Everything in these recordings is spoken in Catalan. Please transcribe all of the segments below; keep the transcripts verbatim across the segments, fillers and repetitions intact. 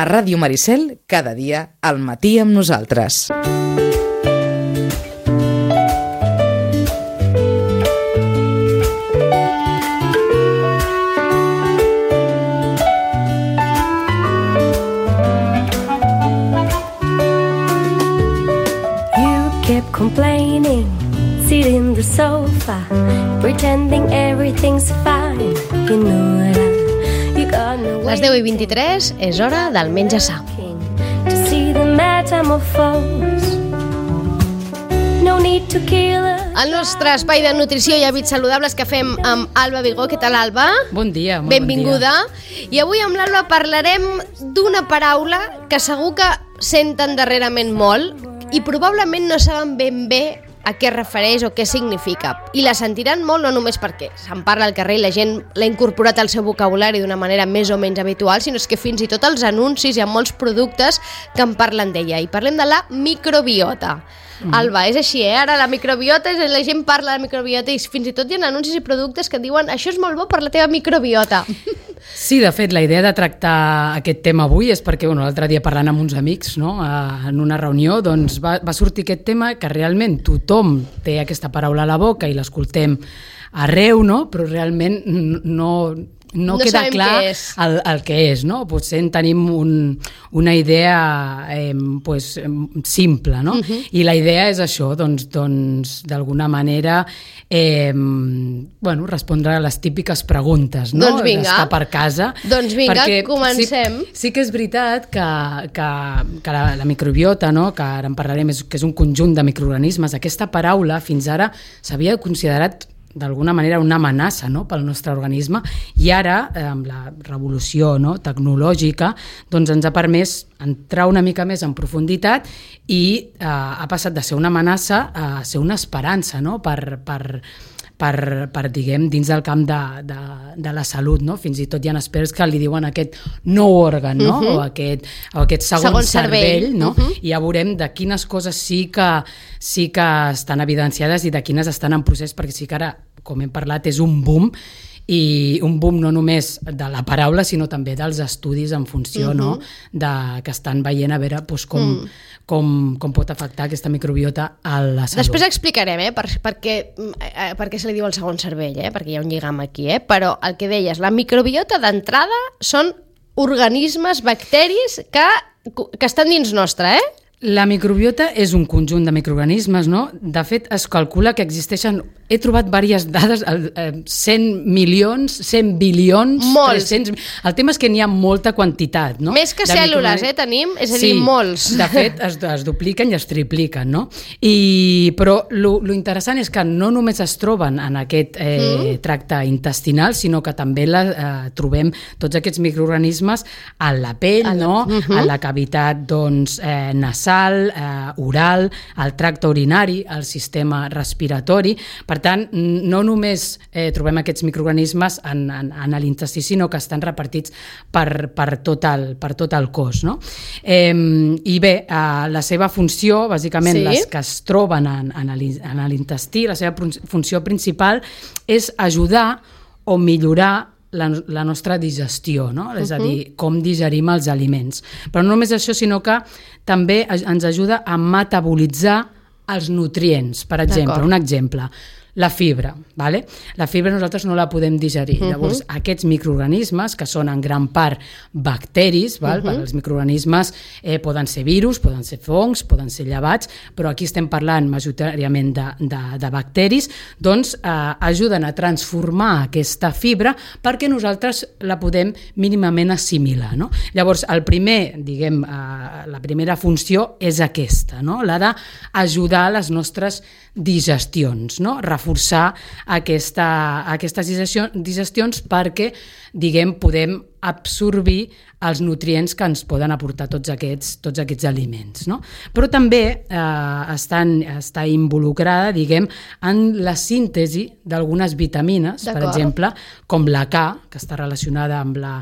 A Ràdio Maricel, cada dia, al matí amb nosaltres. Complaining, sitting in the sofa, pretending everything's fine. You know that you got no way. Les deu i vint-i-tres és hora del menjar sa. To see the metamorphose. No need to kill her. El nostre espai de nutrició i hàbits saludables que fem amb Alba Vigó. Què tal, Alba? Bon dia, molt benvinguda. Bon dia. I avui amb l'Alba parlarem d'una paraula que segur que senten darrerament molt i probablement no saben ben bé a què es refereix o què significa. I la sentiran molt no només perquè se'n parla al carrer i la gent l'ha incorporat al seu vocabulari d'una manera més o menys habitual, sinó que fins i tot els anuncis hi ha molts productes que en parlen d'ella. I parlem de la microbiota. Mm. Alba, és així, eh? Ara la microbiota, la gent parla de la microbiota i fins i tot hi ha anuncis i productes que diuen això és molt bo per la teva microbiota. Sí, de fet, la idea de tractar aquest tema avui és perquè bueno, l'altre dia parlant amb uns amics, no? En una reunió, doncs va, va sortir aquest tema que realment tothom té aquesta paraula a la boca i l'escoltem arreu, no? Però realment no... No, no queda clar el, el que és, no? Potser en tenim un, una idea eh, pues, simple, no? Uh-huh. I la idea és això, doncs, doncs d'alguna manera eh, bueno, respondre a les típiques preguntes, no? Doncs vinga. D'estar per casa. Doncs vinga, perquè comencem. Sí, sí que és veritat que, que, que la, la microbiota, no? Que ara en parlarem, és, que és un conjunt de microorganismes, aquesta paraula fins ara s'havia considerat d'alguna manera una amenaça, no? Pel nostre organisme i ara, eh, amb la revolució, no? Tecnològica, doncs ens ha permès entrar una mica més en profunditat i eh, ha passat de ser una amenaça a ser una esperança, no? per, per, per, per diguem, dins del camp de, de, de la salut, no? Fins i tot hi ha experts que li diuen aquest nou òrgan, no? Uh-huh. o, aquest, o aquest segon, segon cervell, cervell, no? Uh-huh. I ja veurem de quines coses sí que, sí que estan evidenciades i de quines estan en procés, perquè sí que ara, com hem parlat, és un boom, i un boom no només de la paraula, sinó també dels estudis en funció, uh-huh. no? De, que estan veient a veure doncs, com, mm. com, com pot afectar aquesta microbiota a la salut. Després explicarem eh, per, per, què, eh, per què se li diu el segon cervell, eh, perquè hi ha un lligam aquí, eh, però el que deies, la microbiota d'entrada són organismes, bacteris que, que estan dins nostre, eh? La microbiota és un conjunt de microorganismes, no? De fet, es calcula que existeixen, he trobat diverses dades, cent milions, cent bilions, molts. tres cents... El tema és que n'hi ha molta quantitat, no? Més que cèl·lules, eh, tenim, és a dir, sí, molts. De fet, es, es dupliquen i es tripliquen, no? I, però lo, lo interessant és que no només es troben en aquest eh, mm. tracte intestinal, sinó que també la, eh, trobem tots aquests microorganismes a la pell, a la, no? Uh-huh. A la cavitat, doncs, eh, nasal, Eh, oral, el tracte urinari, el sistema respiratori. Per tant, no només eh, trobem aquests microorganismes en, en, en l'intestí, sinó que estan repartits per, per, tot, el, per tot el cos. No? Eh, I bé, eh, la seva funció, bàsicament sí. les que es troben en, en l'intestí, la seva funció principal és ajudar o millorar La, la nostra digestió, no? Uh-huh. És a dir, com digerim els aliments. Però no només això, sinó que també ens ajuda a metabolitzar els nutrients. Per exemple, D'acord. un exemple, la fibra, vale? La fibra nosaltres no la podem digerir. Uh-huh. Llavors, aquests microorganismes, que són en gran part bacteris, val? Uh-huh. Els microorganismes eh, poden ser virus, poden ser fongs, poden ser llevats, però aquí estem parlant majoritàriament de, de, de bacteris, doncs eh, ajuden a transformar aquesta fibra perquè nosaltres la podem mínimament assimilar, no? Llavors, el primer, diguem, eh, la primera funció és aquesta, no? La d'ajudar a les nostres digestions, no? Reforçar aquesta, aquestes digestions perquè, diguem, podem absorbir els nutrients que ens poden aportar tots aquests, tots aquests aliments, no? Però també eh, estan, està involucrada, diguem, en la síntesi d'algunes vitamines, per exemple, com la K, que està relacionada amb la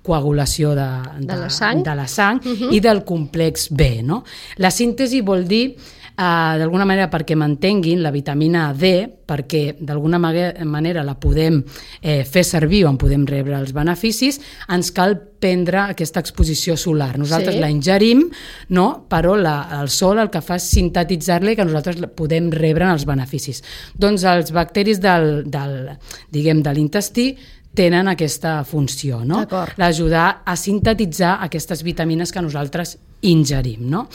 coagulació de, de, de la sang, de la sang uh-huh. i del complex B, no? La síntesi vol dir uh, d'alguna manera perquè mantenguin la vitamina D, perquè d'alguna manera la podem eh, fer servir o en podem rebre els beneficis, ens cal prendre aquesta exposició solar. Nosaltres sí. la ingerim, no? Però la, el sol el que fa és sintetitzar-la i que nosaltres podem rebre els beneficis. Doncs els bacteris del, del, diguem, de l'intestí tenen aquesta funció, no? L'ajudar a sintetitzar aquestes vitamines que nosaltres ingerim, no?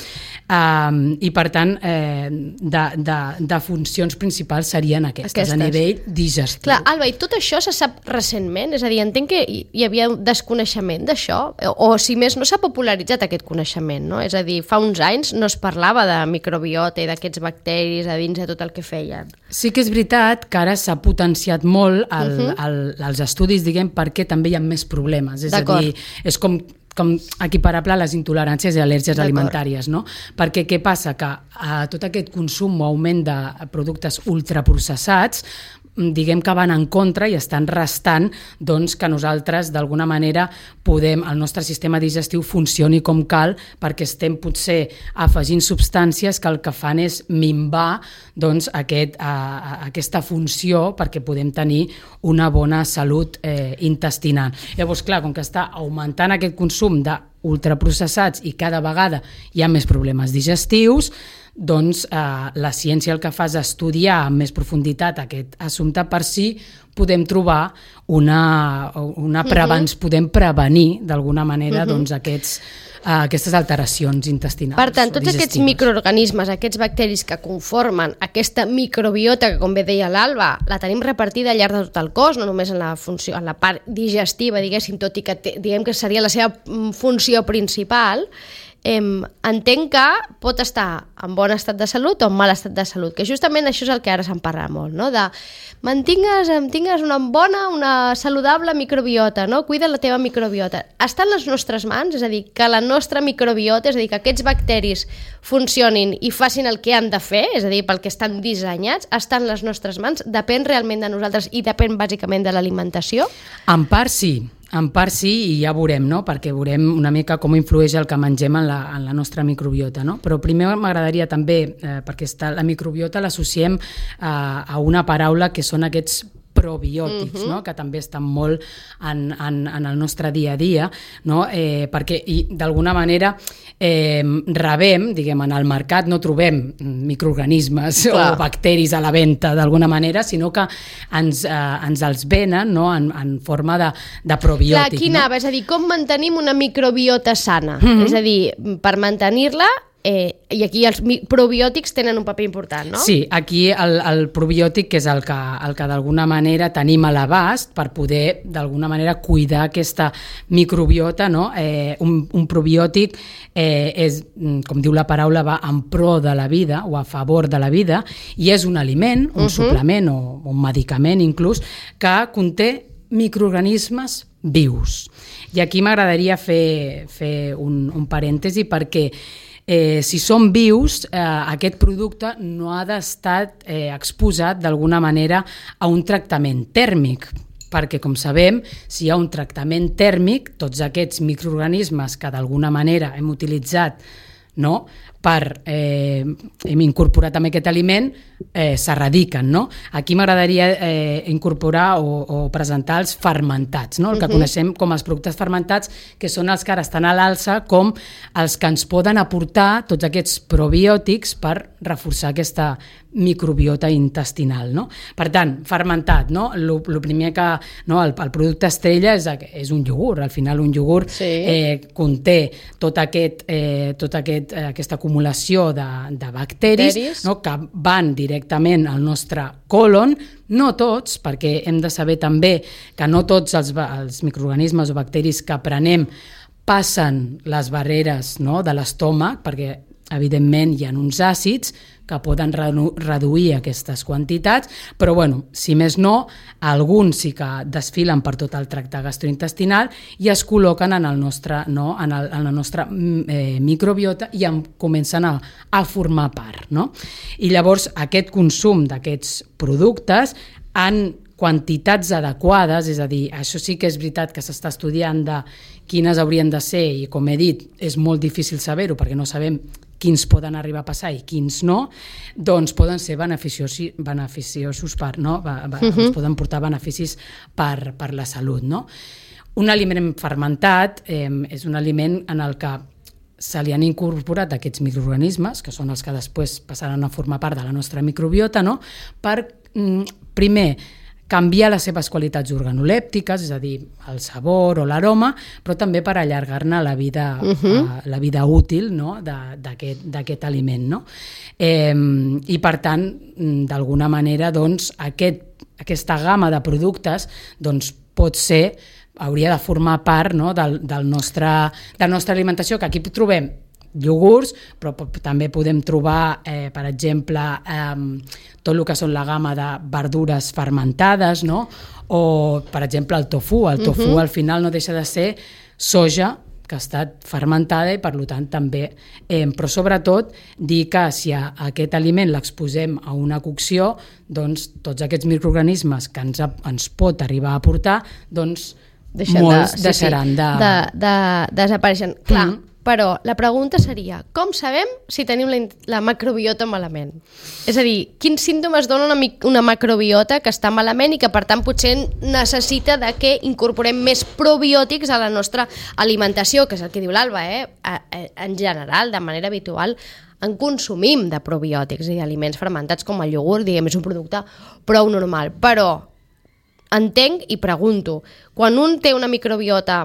Um, I per tant, eh, de, de, de funcions principals serien aquestes, aquestes, a nivell digestiu. Clar, Alba, i tot això se sap recentment? És a dir, entenc que hi havia desconeixement d'això, o, o si més no s'ha popularitzat aquest coneixement, no? És a dir, fa uns anys no es parlava de microbiota i d'aquests bacteris a dins de tot el que feien. Sí que és veritat que ara s'ha potenciat molt el, uh-huh. el, els estudis, diguem, perquè també hi ha més problemes. És a dir, és com com equiparable a les intoleràncies i al·lèrgies alimentàries, no? Perquè què passa? Que a tot aquest consum o augment de productes ultraprocessats, diguem que van en contra i estan restant doncs, que nosaltres d'alguna manera podem, el nostre sistema digestiu funcioni com cal, perquè estem potser afegint substàncies que el que fan és minvar doncs, aquest, a, a, aquesta funció perquè podem tenir una bona salut eh, intestinal. Llavors, clar, com que està augmentant aquest consum de ultraprocessats i cada vegada hi ha més problemes digestius, doncs eh, la ciència el que fa és estudiar amb més profunditat aquest assumpte per si podem trobar una, una prevenció, uh-huh. podem prevenir d'alguna manera uh-huh. doncs, aquests, eh, aquestes alteracions intestinals. Per tant, tots digestives. Aquests microorganismes, aquests bacteris que conformen aquesta microbiota que, com bé deia l'Alba, la tenim repartida al llarg de tot el cos, no només en la, funció, en la part digestiva, diguéssim, tot i que te, diguem que seria la seva funció principal, Eh, entenc que pot estar en bon estat de salut o en mal estat de salut, que justament això és el que ara se'n parla molt, no? De mantingues, tingues una bona, una saludable microbiota, no? Cuida la teva microbiota. Està en les nostres mans, és a dir, que la nostra microbiota, és a dir, que aquests bacteris funcionin i facin el que han de fer, és a dir, pel que estan dissenyats, està en les nostres mans, depèn realment de nosaltres i depèn bàsicament de l'alimentació? En part sí. En part sí, i ja veurem, no? Perquè veurem una mica com influeix el que mengem en la, en la nostra microbiota, no? Però primer m'agradaria també, eh, perquè està, la microbiota l'associem a, a una paraula que són aquests probiòtics, uh-huh. no? Que també estan molt en, en, en el nostre dia a dia, no? Eh, perquè i, d'alguna manera eh, rebem, diguem, en el mercat no trobem microorganismes Clar. o bacteris a la venda d'alguna manera, sinó que ens, eh, ens els venen, no? en, en forma de, de probiòtic. Clar, aquí anava, no? És a dir, com mantenim una microbiota sana? Uh-huh. És a dir, per mantenir-la, Eh, i aquí els probiòtics tenen un paper important, no? Sí, aquí el, el probiòtic que és el que, el que d'alguna manera tenim a l'abast per poder d'alguna manera cuidar aquesta microbiota, no? Eh, un, un probiòtic eh, és, com diu la paraula, va en pro de la vida o a favor de la vida i és un aliment, un uh-huh. suplement o un medicament inclús, que conté microorganismes vius. I aquí m'agradaria fer, fer un, un parèntesi perquè Eh, si són vius, eh, aquest producte no ha d'estar eh, exposat d'alguna manera a un tractament tèrmic, perquè, com sabem, si hi ha un tractament tèrmic, tots aquests microorganismes que d'alguna manera hem utilitzat, no?, per eh, hem incorporat també aquest aliment, eh, s'erradiquen, no? Aquí m'agradaria eh, incorporar o, o presentar els fermentats, no? El que uh-huh. coneixem com els productes fermentats, que són els que ara estan a l'alça com els que ens poden aportar tots aquests probiòtics per reforçar aquesta microbiota intestinal, no? Per tant, fermentat, no? El primer que, no, el, el producte estrella és, és un iogurt. Al final un iogurt sí. eh, conté tot aquest, eh, tot aquest, eh, aquesta acumulació de, de bacteris, no? Que van directament al nostre colon, no tots, perquè hem de saber també que no tots els, els microorganismes o bacteris que prenem passen les barreres, no?, de l'estómac, perquè evidentment hi ha uns àcids que poden reduir aquestes quantitats, però bueno, si més no, alguns sí que desfilen per tot el tracte gastrointestinal i es col·loquen en el nostre, no, en, el, en la nostra eh, microbiota i en comencen a, a formar part, no? I llavors aquest consum d'aquests productes en quantitats adequades, és a dir, això sí que és veritat que s'està estudiant de quines haurien de ser i, com he dit, és molt difícil saber-ho perquè no sabem quins poden arribar a passar i quins no, doncs poden ser beneficiosos, beneficiosos per, no? Va, va, uh-huh. ens poden portar beneficis per, per la salut. No? Un aliment fermentat eh, és un aliment en el que se li han incorporat aquests microorganismes, que són els que després passaran a formar part de la nostra microbiota, no? Per, mm, primer, canviar les seves qualitats organolèptiques, és a dir, el sabor o l'aroma, però també per allargar-ne la vida, uh-huh. uh, la vida útil, no? d'aquest aliment. No? Eh, I, per tant, d'alguna manera, doncs, aquest, aquesta gamma de productes doncs, pot ser hauria de formar part, no, del, del nostre, de la nostra alimentació, que aquí trobem iogurts, però també podem trobar, eh, per exemple, eh, tot el que són la gamma de verdures fermentades, no? O, per exemple, el tofu. El tofu uh-huh. al final no deixa de ser soja que ha estat fermentada i, per tant, també. Eh, però, sobretot, dir que si a aquest aliment l'exposem a una cocció, doncs tots aquests microorganismes que ens, ens pot arribar a aportar, doncs Deixen molts de, sí, deixaran sí, de... de, de desapareixen. Clar, mm. però la pregunta seria, com sabem si tenim la, la macrobiota malament? És a dir, quins símptomes dona una, una macrobiota que està malament i que, per tant, potser necessita de que incorporem més probiòtics a la nostra alimentació, que és el que diu l'Alba, eh? En general, de manera habitual, en consumim de probiòtics i d'aliments fermentats com el iogurt, diguem, és un producte prou normal, però entenc i pregunto, quan un té una microbiota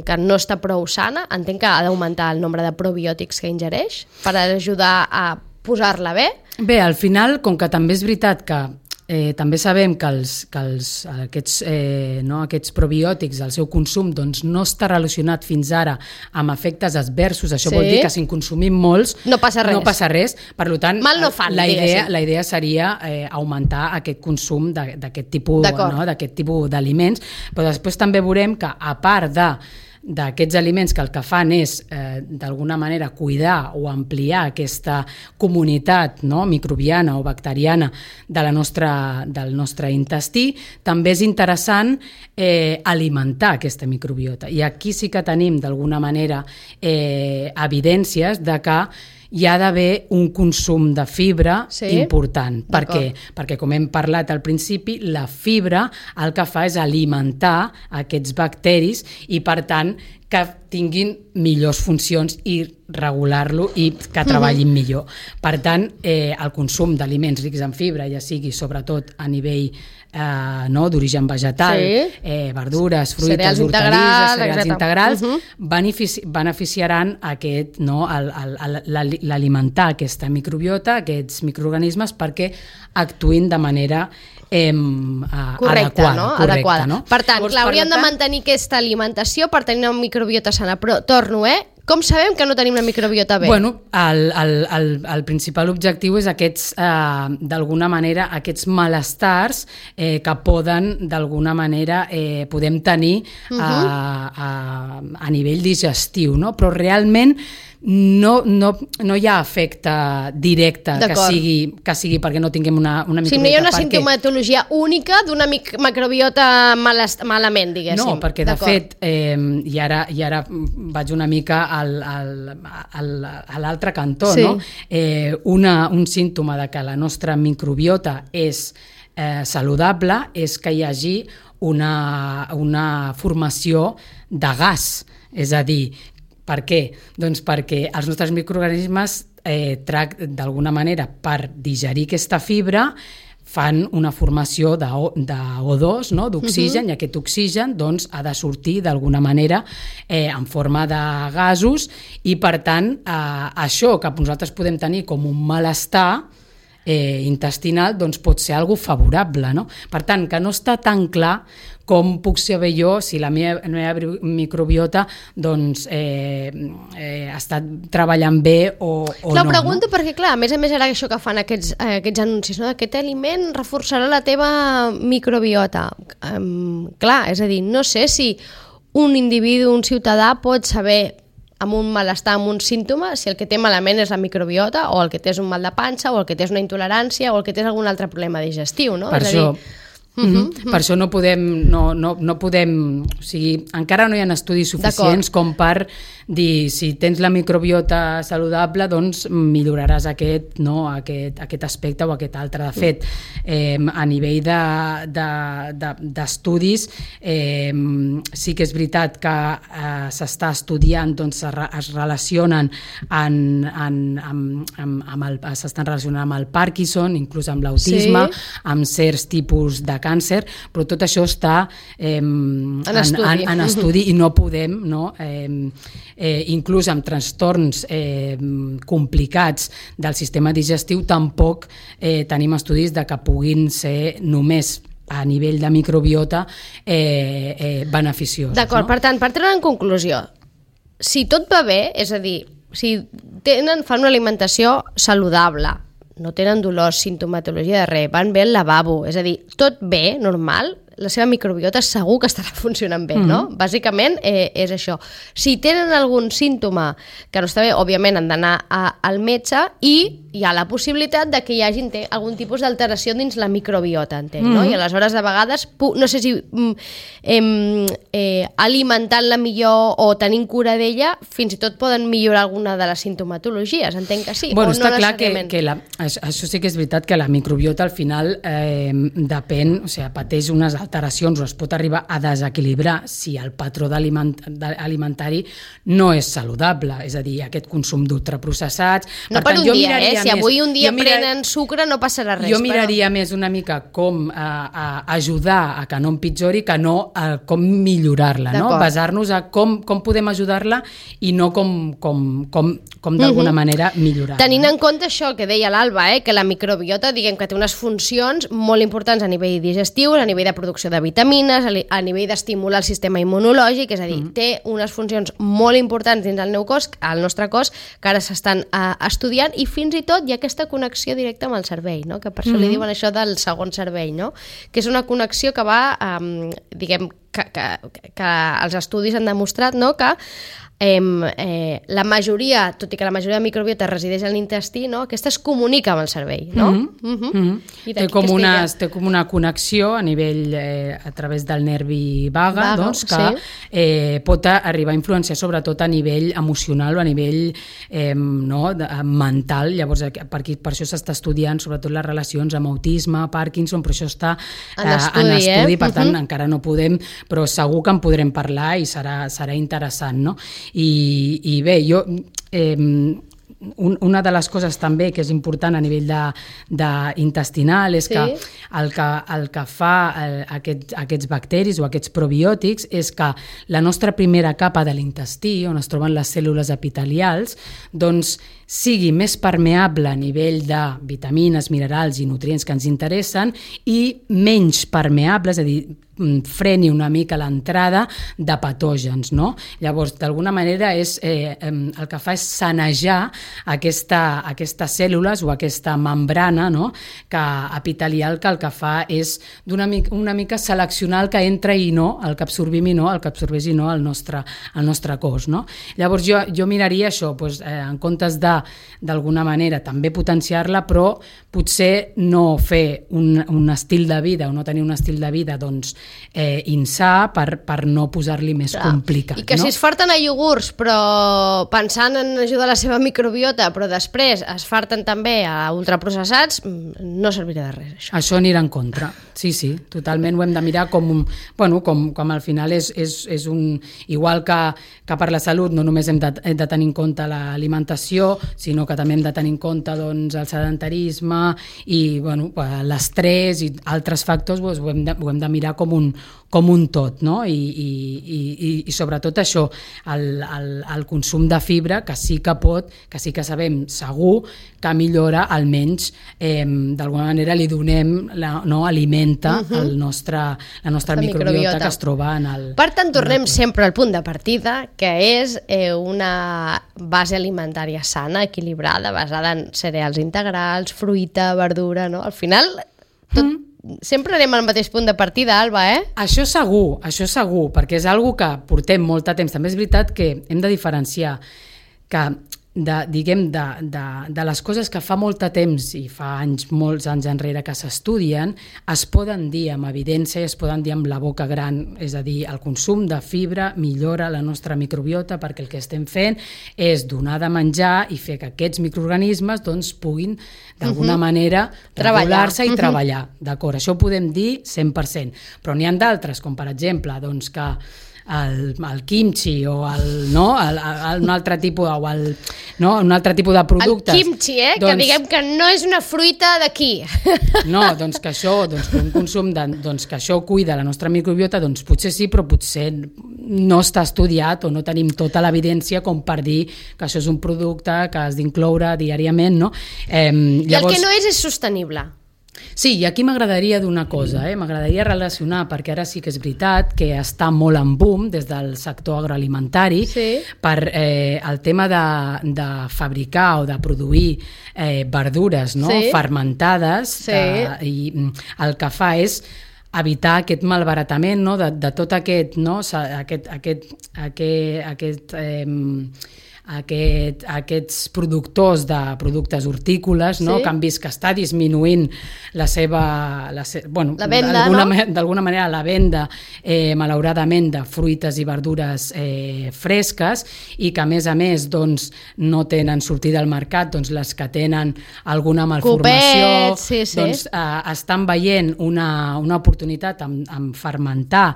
que no està prou sana, entenc que ha d'augmentar el nombre de probiòtics que ingereix per ajudar a posar-la bé? Bé, al final, com que també és veritat que eh, també sabem que, els, que els, aquests, eh, no, aquests probiòtics, el seu consum, doncs, no està relacionat fins ara amb efectes adversos, això sí. vol dir que si en consumim molts no passa res. No passa res. Per tant, mal no fan, la, idea, la idea seria eh, augmentar aquest consum d'aquest tipus, no, d'aquest tipus d'aliments, però després també veurem que, a part de d'aquests aliments que el que fan és eh, d'alguna manera cuidar o ampliar aquesta comunitat, no, microbiana o bacteriana de la nostra, del nostre intestí, també és interessant eh, alimentar aquesta microbiota. I aquí sí que tenim d'alguna manera eh, evidències de que hi ha d'haver un consum de fibra sí? important. Per què? Perquè, com hem parlat al principi, la fibra el que fa és alimentar aquests bacteris i, per tant, que tinguin millors funcions i regular-lo i que treballin uh-huh. millor. Per tant, eh, el consum d'aliments rics en fibra, ja sigui sobretot a nivell eh, no, d'origen vegetal, sí. eh, verdures, fruites, cereals hortalisses, cereals etcètera integrals, uh-huh. benefici beneficiaran aquest, no, l'alimentar aquesta microbiota, aquests microorganismes, perquè actuïn de manera Eh, correcte, adequada, no? correcte, adequada. No? Per tant, clar, hauríem de mantenir aquesta alimentació per tenir una microbiota sana, però torno, eh? Com sabem que no tenim una microbiota bé? Bueno, el, el, el, el principal objectiu és aquests, eh, d'alguna manera, aquests malestars eh, que poden, d'alguna manera, eh, podem tenir uh-huh. a, a, a nivell digestiu, no? Però realment no, no, no hi ha efecte directe que sigui, que sigui perquè no tinguem una, una microbiota. Si no hi ha una sintomatologia única d'una macrobiota malest, malament, diguéssim. No, perquè de fet, eh, i, ara, i ara vaig una mica al, al, al, a l'altre cantó, sí. no? Eh, una, un símptoma de que la nostra microbiota és eh, saludable és que hi hagi una, una formació de gas, és a dir, per què? Doncs perquè els nostres microorganismes eh, d'alguna manera per digerir aquesta fibra fan una formació de O dos, no? d'oxigen, uh-huh. i aquest oxigen doncs, ha de sortir d'alguna manera eh, en forma de gasos i, per tant, eh, això que nosaltres podem tenir com un malestar eh, intestinal doncs, pot ser algo favorable. No? Per tant, que no està tan clar com puc saber jo si la meva, la meva microbiota doncs, eh, eh, està treballant bé o, o clar, no. Pregunto no? perquè, clar, a més a més ara això que fan aquests, eh, aquests anuncis, no? Aquest aliment reforçarà la teva microbiota. Um, clar, és a dir, no sé si un individu, un ciutadà pot saber amb un malestar, amb un símptoma, si el que té malament és la microbiota o el que té és un mal de panxa o el que té és una intolerància o el que té és algun altre problema digestiu, no? Per és això... a dir, Mm-hmm. Per això no podem, no, no, no podem, o sigui, encara no hi ha estudis suficients com per dir, si tens la microbiota saludable, doncs milloraràs aquest, no, aquest, aquest aspecte o aquest altre. De fet, eh, a nivell d'estudis, de, de, eh, sí que és veritat que eh, s'està estudiant, doncs es relacionen en, en, amb, amb, amb el, s'estan relacionant amb el Parkinson, inclús amb l'autisme, sí. amb certs tipus de càncer, però tot això està eh, en, estudi. en, en estudi i no podem, no, eh, eh, inclús amb trastorns eh, complicats del sistema digestiu, tampoc eh, tenim estudis de que puguin ser només a nivell de microbiota eh, eh, beneficiosos. D'acord, no? Per tant, per treure en conclusió, si tot va bé, és a dir, si tenen, fan una alimentació saludable, no tenen dolors, sintomatologia de res, van bé al lavabo, és a dir, tot bé, normal, la seva microbiota segur que estarà funcionant bé, mm-hmm. no? Bàsicament eh, és això. Si tenen algun símptoma que no està bé, òbviament han d'anar al metge i hi ha la possibilitat de que hi hagi algun tipus d'alteració dins la microbiota, entenc, mm-hmm. no? I aleshores, de vegades, no sé si eh, eh, alimentant-la millor o tenint cura d'ella, fins i tot poden millorar alguna de les sintomatologies, entenc que sí. Bueno, o està no clar que, que la, això, això sí que és veritat que la microbiota al final eh, depèn, o sigui, pateix unes alteracions o es pot arribar a desequilibrar si el patró aliment, alimentari no és saludable, és a dir, aquest consum d'ultraprocessats. No per, per un dia, eh? Si avui un dia mirar... prenen sucre no passarà res. Jo miraria però... més una mica com a, a ajudar a que no empitjori que no a com millorar-la, no? Basar-nos a com, com podem ajudar-la i no com, com, com, com d'alguna uh-huh. manera millorar-la. Tenint en compte això que deia l'Alba, eh? Que la microbiota, diguem que té unes funcions molt importants a nivell digestiu, a nivell de producció de vitamines, a nivell d'estimular el sistema immunològic, és a dir, mm. té unes funcions molt importants dins el, cos, el nostre cos que ara s'estan uh, estudiant i fins i tot hi ha aquesta connexió directa amb el cervell, no? Que per això mm. li diuen això del segon cervell, no? Que és una connexió que va, um, diguem, que, que, que els estudis han demostrat, no? Que Eh, eh, la majoria, tot i que la majoria de microbiota resideix en l'intestí, no? Aquesta es comunica amb el cervell, no? Mm-hmm. Mm-hmm. Mm-hmm. Té, com una, té com una connexió a nivell eh, a través del nervi vaga, Vago, doncs, que sí. eh, pot arribar a influenciar sobretot a nivell emocional o a nivell eh, no, de, mental. Llavors, per, aquí, per això s'està estudiant sobretot les relacions amb autisme, Parkinson, però això està eh, en estudi, en estudi eh? Per tant, mm-hmm. encara no podem, però segur que en podrem parlar i serà, serà interessant, no? I, i bé, jo eh, un, una de les coses també que és important a nivell de, de intestinal és sí. que el que, el que fa el, aquest, aquests bacteris o aquests probiòtics és que la nostra primera capa de l'intestí, on es troben les cèl·lules epitelials, doncs sigui més permeable a nivell de vitamines, minerals i nutrients que ens interessen i menys permeable, és a dir, freni una mica l'entrada de patògens, no? Llavors, d'alguna manera, és, eh, el que fa és sanejar aquesta, aquestes cèl·lules o aquesta membrana, no? Que epitelial, que el que fa és d'una mica, una mica seleccionar el que entra i no, el que absorbim i no, el que absorbeix i no al nostre, al nostre cos, no? Llavors, jo, jo miraria això, doncs, eh, en comptes de, d'alguna manera, també potenciar-la, però potser no fer un, un estil de vida o no tenir un estil de vida, doncs, Eh, insà per, per no posar-li més Clar. complicat. I que no? Si es farten a iogurts però pensant en ajudar la seva microbiota però després es farten també a ultraprocessats, no servirà de res això. Això anirà en contra, sí, sí, totalment ho hem de mirar com, un, bueno, com, com al final és, és, és un... Igual que, que per la salut no només hem de, hem de tenir en compte l'alimentació, sinó que també hem de tenir en compte doncs, el sedentarisme i bueno, l'estrès i altres factors, doncs, ho, hem de, ho hem de mirar com un, com un tot, no? I, i, i, i sobretot això, el, el, el consum de fibra, que sí que pot, que sí que sabem segur que millora, almenys eh, d'alguna manera li donem, la, no, alimenta uh-huh. el nostre, la nostra la microbiota, microbiota que es troba en el... Per tant, tornem sempre al punt de partida, que és eh, una base alimentària sana, equilibrada, basada en cereals integrals, fruita, verdura, no? Al final, tot... Mm. Sempre anem al mateix punt de partida, Alba, eh? Això segur, això segur, perquè és algo que portem molt de temps. També és veritat que hem de diferenciar que de, diguem, de, de, de les coses que fa molt de temps i fa anys, molts anys enrere que s'estudien, es poden dir amb evidència, es poden dir amb la boca gran, és a dir, el consum de fibra millora la nostra microbiota perquè el que estem fent és donar de menjar i fer que aquests microorganismes doncs, puguin d'alguna uh-huh. manera regular-se i uh-huh. treballar. D'acord, això ho podem dir cent per cent, però n'hi ha d'altres, com per exemple doncs, que el, el kimchi o el, no, el, el, un altre tipus o el, no, un altre tipus de productes. El kimchi, eh? Doncs, que diguem que no és una fruita d'aquí. No, doncs que això, doncs, un consum de, doncs que això cuida la nostra microbiota, doncs potser sí, però potser no està estudiat o no tenim tota l'evidència com per dir que això és un producte que has d'incloure diàriament, no? Eh, I llavors... el que no és és sostenible. Sí, i aquí m'agradaria d'una cosa, eh? m'agradaria relacionar, perquè ara sí que és veritat que està molt en boom des del sector agroalimentari sí. per eh, el tema de, de fabricar o de produir eh, verdures no? sí. fermentades sí. de, i el que fa és evitar aquest malbaratament no? de, de tot aquest, no? aquest, aquest, aquest, aquest eh, Aquest, aquests productors de productes hortícoles no? sí. que han vist que està disminuint la seva, la se... bueno, la venda, d'alguna, no? d'alguna manera la venda eh, malauradament de fruites i verdures eh, fresques i que a més a més doncs, no tenen sortida al mercat, doncs les que tenen alguna malformació Copets, sí, sí. doncs eh, estan veient una, una oportunitat en, en fermentar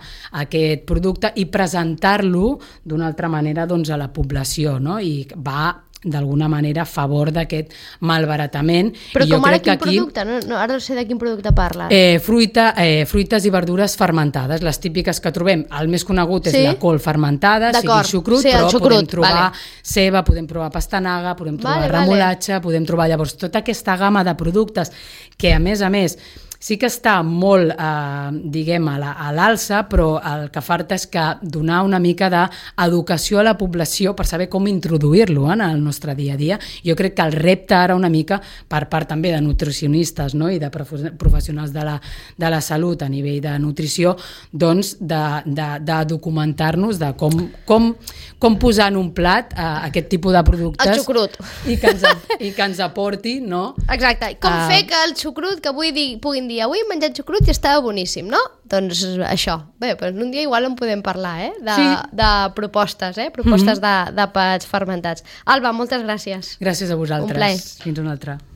aquest producte i presentar-lo d'una altra manera doncs, a la població, no? I va d'alguna manera a favor d'aquest malbaratament. Però I jo com ara crec que quin aquí, producte? No, no, ara no sé de quin producte parles. Eh, fruita, eh, fruites i verdures fermentades, les típiques que trobem. El més conegut és sí? la col fermentada, sigui el xucrut, sí, el però xucrut, podem trobar vale. ceba, podem trobar pastanaga, podem trobar vale, remolatxa, vale. podem trobar llavors tota aquesta gamma de productes que a més a més sí que està molt, eh, diguem, a l'alça, però el que falta és que donar una mica d'educació a la població per saber com introduir-lo en el nostre dia a dia. Jo crec que el repte ara una mica, per part també de nutricionistes no? I de professionals de la, de la salut a nivell de nutrició, doncs de, de, de documentar-nos de com, com, com posar en un plat eh, aquest tipus de productes. El xucrut. I que ens, i que ens aporti, no? Exacte. Com uh, fer que el xucrut, que avui di, puguin dir avui hem menjat xucrut i estava boníssim, no? Doncs això. Bé, doncs un dia igual en podem parlar, eh? De, sí. de propostes, eh? Propostes mm-hmm. de, de pets fermentats. Alba, moltes gràcies. Gràcies a vosaltres. Un plaer. Fins una altra.